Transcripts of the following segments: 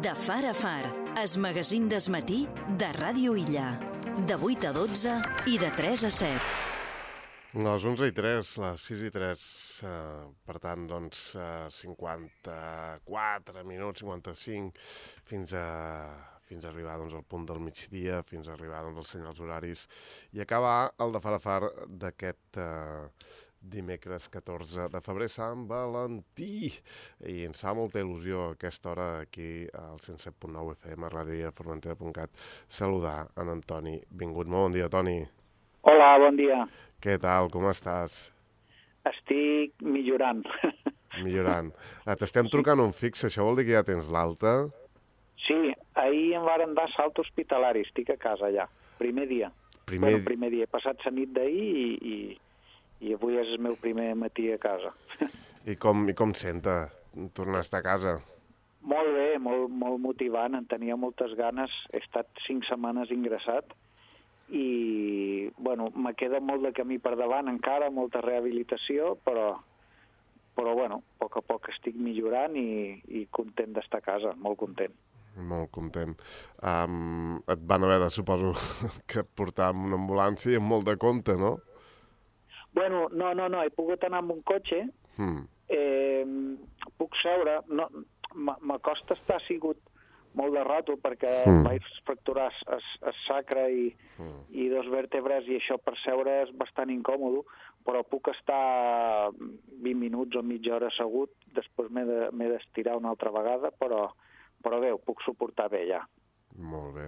De far a far, es magazín d'esmatí de Ràdio Illa. De 8 a 12 i de 3 a 7. Les 11 i 3, les 6 i 3, per tant, doncs, 54 minuts, 55, fins a arribar doncs, al punt del migdia, fins a arribar doncs, als senyals horaris, i acabar el de far a far d'aquest dimecres 14 de febrer, Sant Valentí. I ens fa molta il·lusió a aquesta hora aquí al 107.9 FM, a radioformentera.cat, saludar en Antoni Vingut. Molt bon dia, Toni. Hola, bon dia. Què tal, com estàs? Estic millorant. Millorant. T'estem trucant un fix, això vol dir que ja tens l'alta? Sí, ahir em varen dar salt hospitalari, estic a casa ja, primer dia. Primer dia, he passat la nit d'ahir i avui és el meu primer matí a casa. I com senta tornar a estar a casa? Molt bé, molt motivant, en tenia moltes ganes, he estat 5 setmanes ingressat i, bueno, me queda molt de camí per davant encara, molta rehabilitació, però bueno, a poc a poc estic millorant i content d'estar a casa, molt content. Molt content. Et van haver de, suposo, que portar amb una ambulància i amb molt de compte, no? Bueno, no, he pogut anar amb un cotxe, puc seure, no, m'acosta estar sigut molt de rato perquè vaig fracturar el sacre i 2 vèrtebres i això per seure és bastant incòmode, però puc estar 20 minuts o mitja hora assegut, després m'he d'estirar una altra vegada, però bé, ho puc suportar bé ja. Molt bé.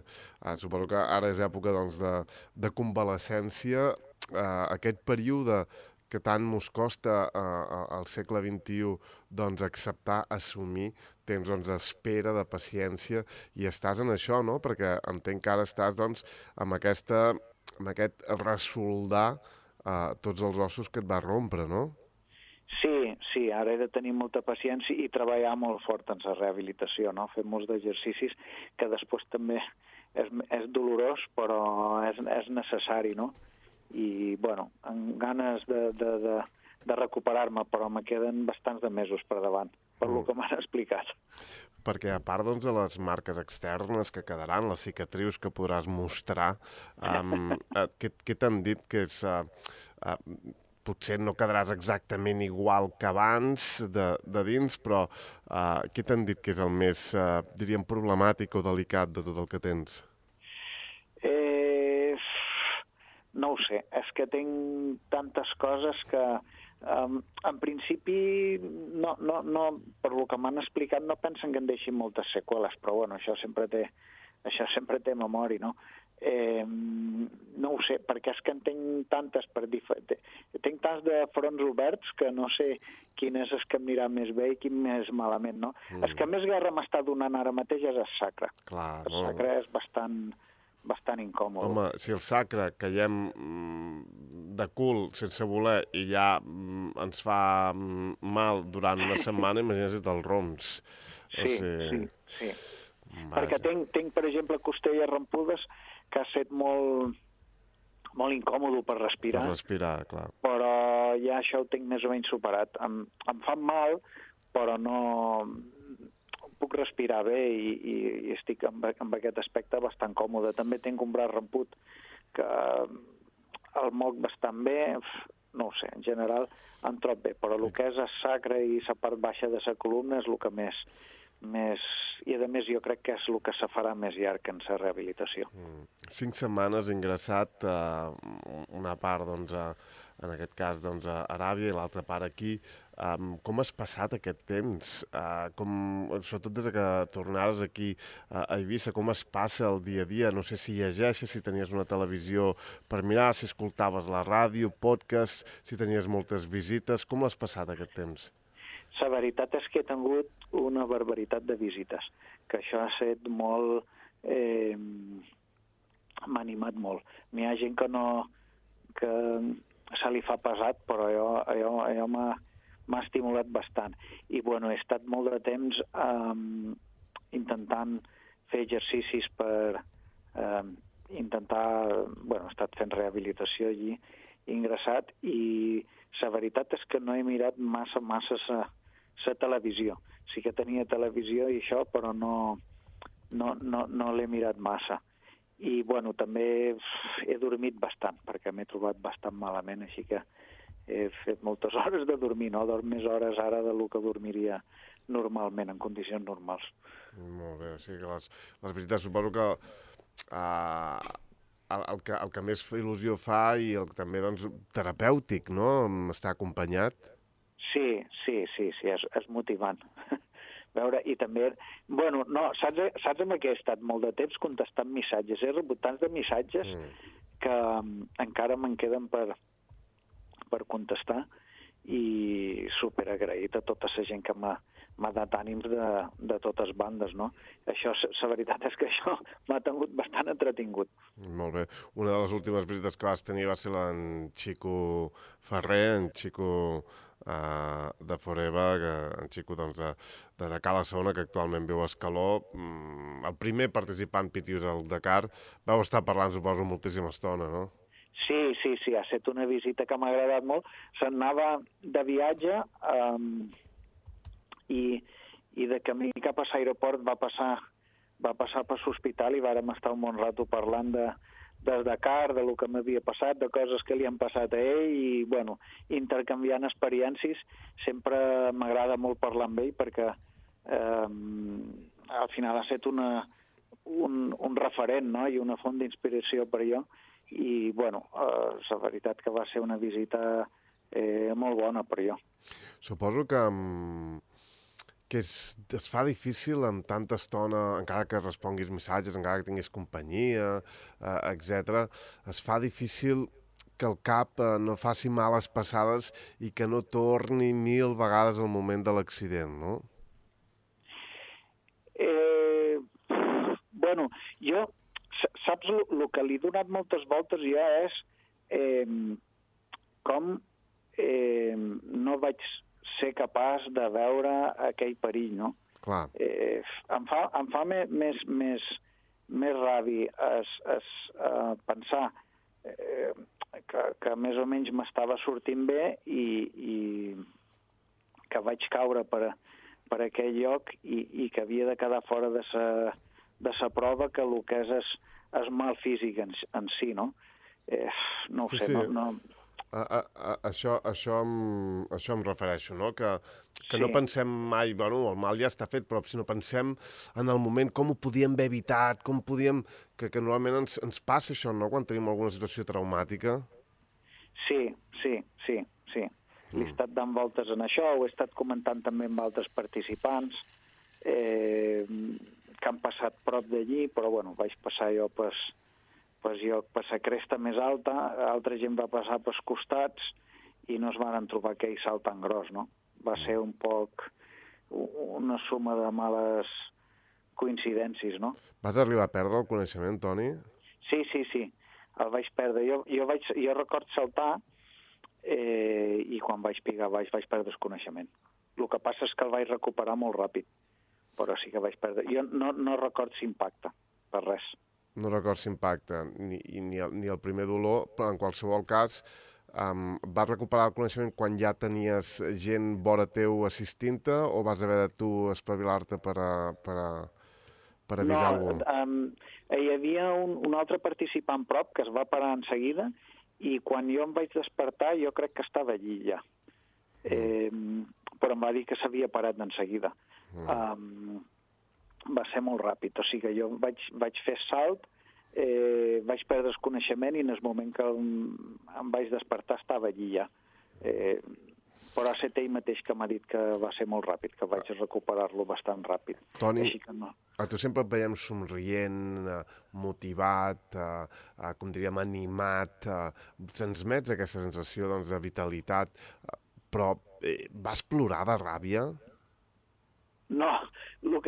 Suposo que ara és època doncs, de convalescència. Aquest període que tant mos costa al segle XXI doncs, acceptar, assumir, tens doncs, espera, de paciència, i estàs en això, no? Perquè entenc que ara estàs doncs, amb aquest ressoldar tots els ossos que et va rompre, no? Sí, ara he de tenir molta paciència i treballar molt fort en la rehabilitació, no? Fer molts d'exercicis que després també és dolorós, però és necessari, no? I, bueno, amb ganes de recuperar-me, però me queden bastants de mesos per davant, per lo que m'han explicat. Perquè a part doncs, de les marques externes que quedaran, les cicatrius que podràs mostrar, què t'han dit que és... potser no quedaràs exactament igual que abans de dins, però què t'han dit que és el més, diríem, problemàtic o delicat de tot el que tens? No ho sé, és que tinc tantes coses que en principi no, per lo que m'han explicat no pensen que em deixin moltes seqüeles, però bueno, això sempre té memòria, no? No ho sé, perquè és que en tinc tantes tinc tants de fronts oberts que no sé quin és el que em anirà més bé i quin més malament, no? El que més guerra m'està donant ara mateix és el sacre. Clar, el sacre és bastant incòmode. Home, si el sacre caiem de cul sense voler i ja ens fa mal durant una setmana, imagina't els roms. Sí. Perquè tinc, per exemple, costelles rompudes que ha estat molt incòmode per respirar. Per respirar, clar. Però ja això ho tinc més o menys superat. Em fan mal, però no puc respirar bé i estic amb aquest aspecte bastant còmode. També tinc un braç romput que el moc bastant bé, no ho sé, en general em trob bé, però el que és el sacre i la part baixa de la columna és el que més i a més jo crec que és el que se farà més llarg en la rehabilitació. 5 setmanes ingressat, una part doncs, en aquest cas doncs, a Aràbia i l'altra part aquí. Com has passat aquest temps? Sobretot des que tornares aquí a Eivissa, com es passa el dia a dia? No sé si llegeixes, si tenies una televisió per mirar, si escoltaves la ràdio, podcast, si tenies moltes visites. Com has passat aquest temps? La veritat és que he tingut una barbaritat de visites, que això ha estat molt... m'ha animat molt. N'hi ha gent que se li fa pesat, però allò m'ha estimulat bastant. I, bueno, he estat molt de temps intentant fer exercicis per intentar... Bueno, he estat fent rehabilitació allí, ingressat, i la veritat és que no he mirat massa la televisió. Sí que tenia televisió i això, però no no l'he mirat massa. I, bueno, també he dormit bastant, perquè m'he trobat bastant malament, així que he fet moltes hores de dormir, no? Dorm més hores ara del que dormiria normalment, en condicions normals. Molt bé, o sigui que les visites suposo que el que més il·lusió fa i el que també, doncs, terapèutic, no?, estar acompanyat. Sí, és motivant. Veure, i també... Bueno, no, saps amb què he estat molt de temps contestant missatges? He rebut tants de missatges que encara me'n queden per contestar i superagraït a tota la gent que m'ha dat ànims de totes bandes, no? Això, la veritat és que això m'ha tingut bastant entretingut. Molt bé. Una de les últimes visites que vas tenir va ser l'en Xico Ferrer, en Xico de Forever, en Xico doncs, de Cala Saona, que actualment viu a Escaló. El primer participant Pitius al Dakar. Vau estar parlant, suposo, moltíssima estona, no? Sí, ha estat una visita que m'ha agradat molt. Se'n anava de viatge i de camí cap a l'aeroport va passar per l'hospital i vàrem estar un bon rato parlant del Dakar, de lo que m'havia passat, de coses que li han passat a ell i, bueno, intercanviant experiències. Sempre m'agrada molt parlar amb ell perquè al final ha estat un referent, no?, i una font d'inspiració per jo. I, bueno, la veritat que va ser una visita molt bona per jo. Suposo que es fa difícil amb tanta estona, encara que responguis missatges, encara que tinguis companyia, etc. Es fa difícil que el cap no faci males passades i que no torni 1000 vegades al moment de l'accident, no? Bueno, jo... Saps, el que li he donat moltes voltes ja és com no vaig ser capaç de veure aquell perill, no? Clar. Em fa més ràbia pensar que més o menys m'estava sortint bé i que vaig caure per aquell lloc i que havia de quedar fora de sa prova que el que és mal físic en si, no? No ho sé, sí. No... Això em refereixo, no? Que no pensem mai, bueno, el mal ja està fet, però si no pensem en el moment com ho podíem haver evitat, com podíem... Que normalment ens passa això, no?, quan tenim alguna situació traumàtica. Sí. Li he estat dant voltes en això, ho he estat comentant també amb altres participants, que han passat prop d'allí, però bueno, vaig passar jo per la cresta més alta, altra gent va passar pels costats i no es van trobar aquell salt tan gros, no? Va ser un poc una suma de males coincidències, no? Vas arribar a perdre el coneixement, Toni? Sí, el vaig perdre. Jo record saltar i quan vaig pigar vaig perdre el coneixement. El que passa és que el vaig recuperar molt ràpid, però sí que vaig perdre. Jo no record l'impacte, per res. No records l'impacte, ni el primer dolor, però en qualsevol cas vas recuperar el coneixement quan ja tenies gent vora teu assistint-te o vas haver de tu espavilar-te per avisar algú? Hi havia un altre participant prop que es va parar en seguida i quan jo em vaig despertar jo crec que estava allí ja. Però em va dir que s'havia parat en seguida. Va ser molt ràpid, o sigui que jo vaig fer salt, vaig perdre el coneixement i en el moment que em vaig despertar estava allí ja. Però ha estat ell mateix que m'ha dit que va ser molt ràpid, que vaig recuperar-lo bastant ràpid. Toni, així que no. a tu sempre et veiem somrient, motivat, com diríem, animat, transmets aquesta sensació de vitalitat, però vas plorar de ràbia? No, el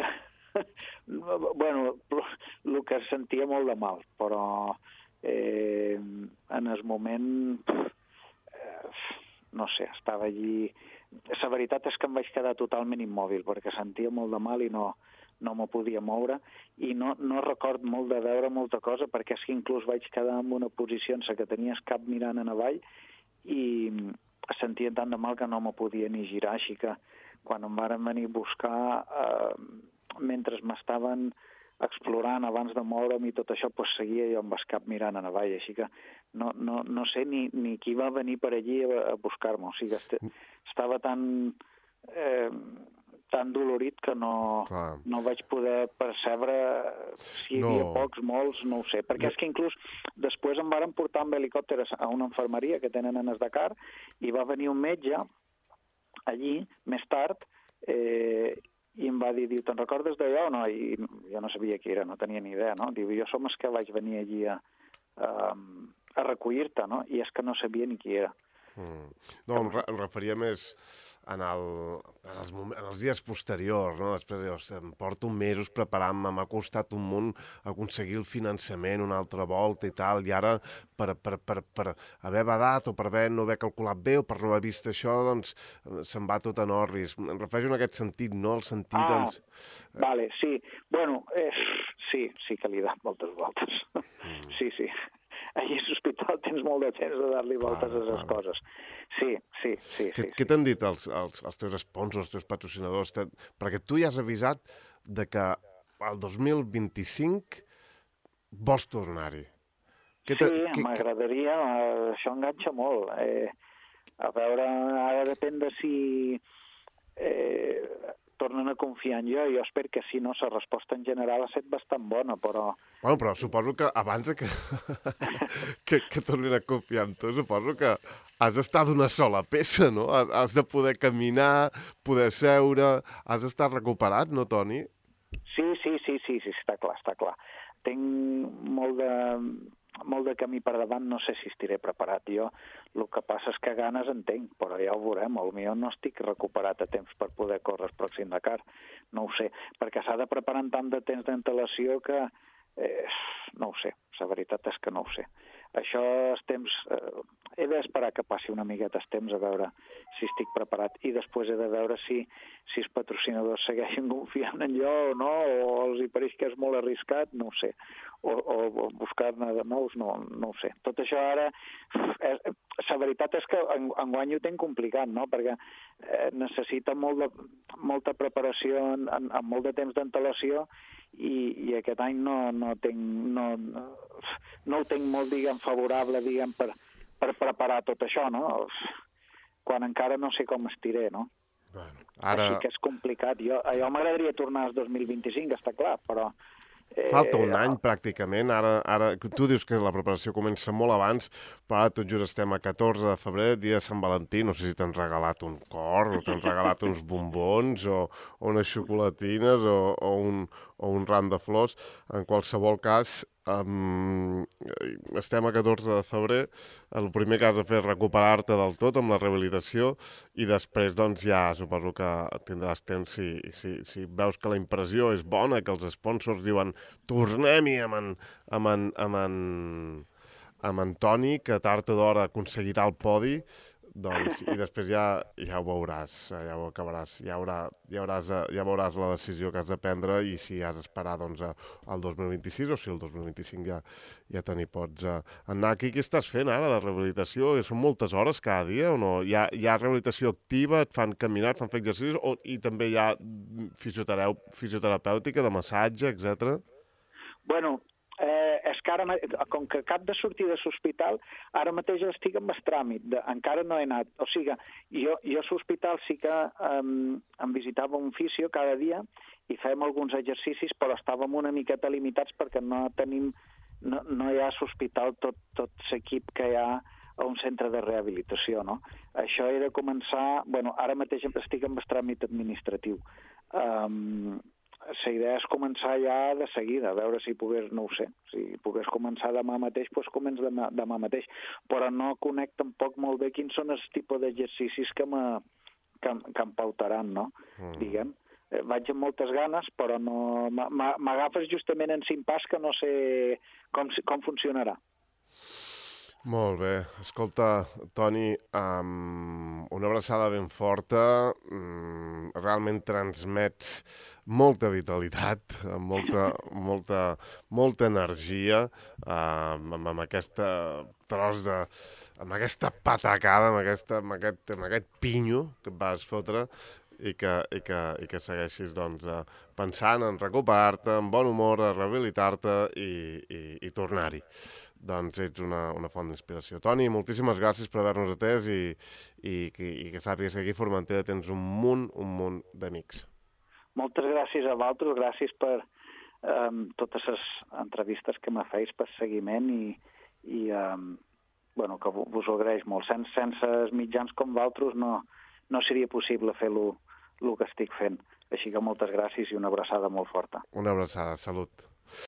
que sentia molt de mal, però en el moment, no sé, estava allí... La veritat és que em vaig quedar totalment immòbil, perquè sentia molt de mal i no me podia moure, i no record molt de veure molta cosa, perquè és que inclús vaig quedar en una posició en què tenia el cap mirant en avall i sentia tant de mal que no me podia ni girar, així que quan em varen venir a buscar, mentre m'estaven explorant abans de moure'm i tot això, doncs seguia jo amb el cap mirant a avall, així que no sé ni qui va venir per allí a buscar-me, o sigui, estava tan dolorit que no vaig poder percebre si hi havia pocs, molts, no ho sé, perquè és que inclús després em varen portar amb helicòpter a una infermeria que tenen en el Dakar i va venir un metge allí, més tard, i em va dir, te'n recordes d'allò o no? I jo no sabia qui era, no tenia ni idea, no? Diu, jo som els que vaig venir allí a recollir-te, no? I és que no sabia ni qui era. No, em referia més en els dies posteriors, no? Després em porto mesos preparant-me, m'ha costat un munt aconseguir el finançament una altra volta i tal, i ara per haver badat o per no haver calculat bé o per no haver vist això, doncs se'n va tot en orris. Em refereixo en aquest sentit, no? El sentit, doncs... Vale, sí. Bueno, sí que li he dat moltes voltes. Sí. Allí a l'hospital tens molt de temps de dar-li voltes a les coses. Sí. Què t'han dit els teus sponsors, els teus patrocinadors? Perquè tu ja has avisat de que el 2025 vols tornar-hi. Sí, m'agradaria, això enganxa molt. A veure, ara depèn de si tornen a confiar en jo. Jo espero que si no, la resposta en general ha estat bastant bona, però... Bueno, però suposo que abans que tornin a confiar en tu, suposo que has d'estar d'una sola peça, no? Has de poder caminar, poder seure... Has d'estar recuperat, no, Toni? Sí, està clar. Tinc molt de camí per davant, no sé si estiré preparat. Jo el que passa és que ganes en tinc, però ja ho veurem. Potser no estic recuperat a temps per poder córrer el pròxim Dakar. No ho sé, perquè s'ha de preparar amb tant de temps d'antelació que no ho sé. La veritat és que no ho sé. Això, els temps... he d'esperar que passi una miqueta el temps a veure si estic preparat i després he de veure si els patrocinadors segueixen confiant en jo o no, o els hi pareix que és molt arriscat, no ho sé. O buscar-ne de nous, no ho sé. Tot això ara... La veritat és que enguany ho tenc complicat, no? Perquè necessita molta preparació amb molt de temps d'antelació i aquest any no ho tenc molt, diguem, favorable, diguem, per preparar tot això, no? Quan encara no sé com estiré, no? Bueno, així que és complicat. Jo m'agradaria tornar al 2025, està clar, però... Falta un any, pràcticament. Ara, tu dius que la preparació comença molt abans, però ara tot just estem a 14 de febrer, dia de Sant Valentí. No sé si t'han regalat un cor, o t'han regalat uns bombons, o unes xocolatines, o un ram de flors. En qualsevol cas, estem a 14 de febrer, el primer que has de fer és recuperar-te del tot amb la rehabilitació i després doncs ja suposo que tindràs temps si veus que la impressió és bona, que els sponsors diuen tornem-hi amb en Toni, que tard o d'hora aconseguirà el podi, doncs, i després ja ho veuràs, ja ho acabaràs, ja veuràs la decisió que has de prendre i si has d'esperar doncs, al 2026 o si el 2025 ja te n'hi pots anar. Aquí què estàs fent ara de rehabilitació? Són moltes hores cada dia o no? Hi ha rehabilitació activa, et fan caminar, et fan fer exercicis i també hi ha fisioterapèutica, de massatge, etc. Bueno, és que ara, com que cap de sortir de l'hospital, ara mateix estic amb el tràmit, encara no he anat. O sigui, jo a l'hospital sí que em visitava un fisio cada dia i fèiem alguns exercicis, però estàvem una miqueta limitats perquè no hi ha a l'hospital tot l'equip que hi ha a un centre de rehabilitació, no? Això he de començar... Bueno, ara mateix estic amb el tràmit administratiu. La idea és començar ja de seguida, a veure si pogués, no ho sé, si pogués començar demà mateix, doncs començ demà mateix. Però no conec tampoc molt bé quins són els tipus d'exercicis que em pautaran, no? Diguem. Vaig amb moltes ganes, però no... M'agafes justament en impàs que no sé com funcionarà. Molt bé. Escolta, Toni, una abraçada ben forta, realment transmets molta vitalitat, molta energia, amb aquesta tros de... amb aquesta patacada, amb aquest pinyo que et vas fotre, i que segueixis doncs, pensant en recuperar-te, en bon humor, a rehabilitar-te i tornar-hi. Doncs ets una font d'inspiració. Toni, moltíssimes gràcies per haver-nos atès i que sàpigues que aquí a Formentera tens un munt d'amics. Moltes gràcies a vosaltres, gràcies per totes les entrevistes que me feis, per seguiment i que vos ho agraeix molt. Sense els mitjans com vosaltres no seria possible fer el que estic fent. Així que moltes gràcies i una abraçada molt forta. Una abraçada, salut.